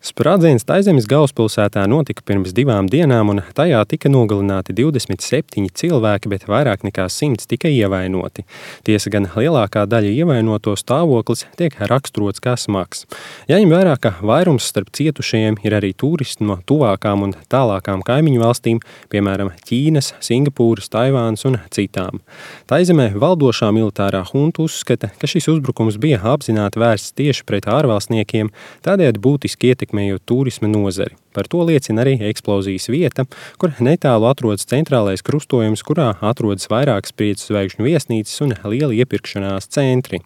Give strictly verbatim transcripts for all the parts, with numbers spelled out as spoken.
Sprādziens Taizemes galvaspilsētā notika pirms divām dienām, un tajā tika nogalināti divdesmit septiņi cilvēki, bet vairāk nekā simts tika ievainoti. Tiesa gan lielākā daļa ievainoto stāvoklis tiek raksturots kā smags. Jāņem vērā, ka vairums starp cietušajiem ir arī turisti no tuvākām un tālākām kaimiņu valstīm, piemēram, Ķīnas, Singapūras, Taivānas un citām. Taizemē valdošā militārā hunta uzskata, ka šis uzbrukums bija apzināti vērsts tieši pret ārvalstniekiem, tādējādi būtiski ietekmējot turisma nozari. Par to liecina arī eksplozijas vieta, kur netālu atrodas centrālais krustojums, kurā atrodas vairākas piecu zvaigžņu viesnīcas un lieli iepirkšanās centri.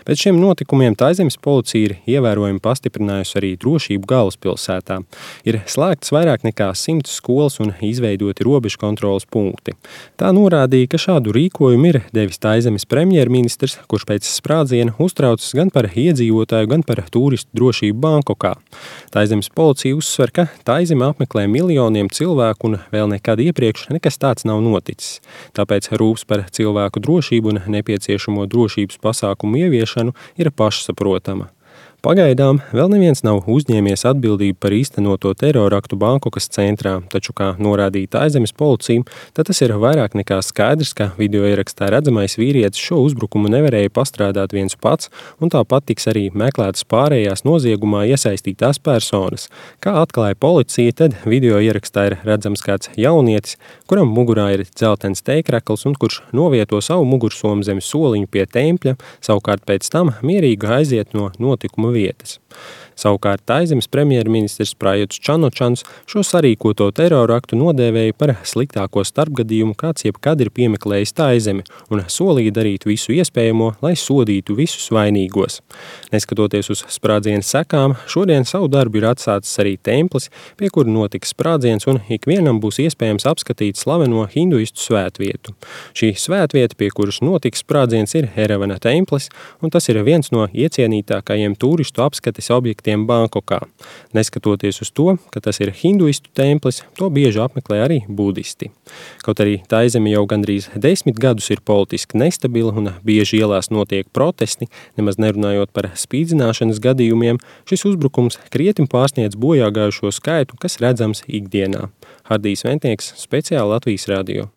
Pēc šiem notikumiem Taizemes policija ir ievērojami pastiprinājusi arī drošību galvaspilsētā. Ir slēgtas vairāk nekā simts skolas un izveidoti robežu kontroles punkti. Tā norādīja, ka šādu rīkojumu ir devis Taizemes premjerministrs, kurš pēc sprādziena uztraucas gan par iedzīvotāju, gan par turistu drošību Bankokā. Taizemes policija uzsver, ka Taizeme apmeklē miljoniem cilvēku un vēl nekad iepriekš nekas tāds nav noticis. Tāpēc rūpes par cilvēku drošību un nepieciešamo drošības pasākumu ieviešanu ir pašsaprotama. Pagaidām vēl neviens nav uzņēmies atbildību par īstenoto teroraktu Bankokas centrā, taču, kā norādīja Taizemes policija, tad tas ir vairāk nekā skaidrs, ka video ierakstā redzamais vīrietis šo uzbrukumu nevarēja pastrādāt viens pats, un tāpat tiks arī meklētas pārējās noziegumā iesaistītās personas. Kā atklāja policija, tad video ierakstā ir redzams kāds jaunietis, kuram mugurā ir dzeltens teikrakls un kurš novieto savu mugursomu zem soliņu pie tempļa, savukārt pēc tam mierīgi aiziet no notikuma vietas. Savukārt Taizemes premjerministrs Prajuts Čanočans šo sarīkoto teroraktu nodēvēja par sliktāko starpgadījumu, kāds jebkad ir piemeklējis Taizemi, un solīja darīt visu iespējamo, lai sodītu visus vainīgos. Neskatoties uz sprādziena sekām, šodien savu darbu ir atsācis arī templis, pie kura notiks sprādziens, un ikvienam būs iespējams apskatīt slaveno hinduistu svētvietu. Šī svētvieta, pie kuras notiks sprādziens, ir Eravana templis, un tas ir viens no iecienītākajiem turistu apskates objektiem Bankokā. Neskatoties uz to, ka tas ir hinduistu templis, to bieži apmeklē arī budisti. Kaut arī Taizeme jau gandrīz desmit gadus ir politiski nestabila un bieži ielās notiek protesti, nemaz nerunājot par spīdzināšanas gadījumiem, šis uzbrukums krietni pārsniedz bojāgājušo skaitu, kas redzams ikdienā. Hardijs Ventnieks, speciāli Latvijas radio.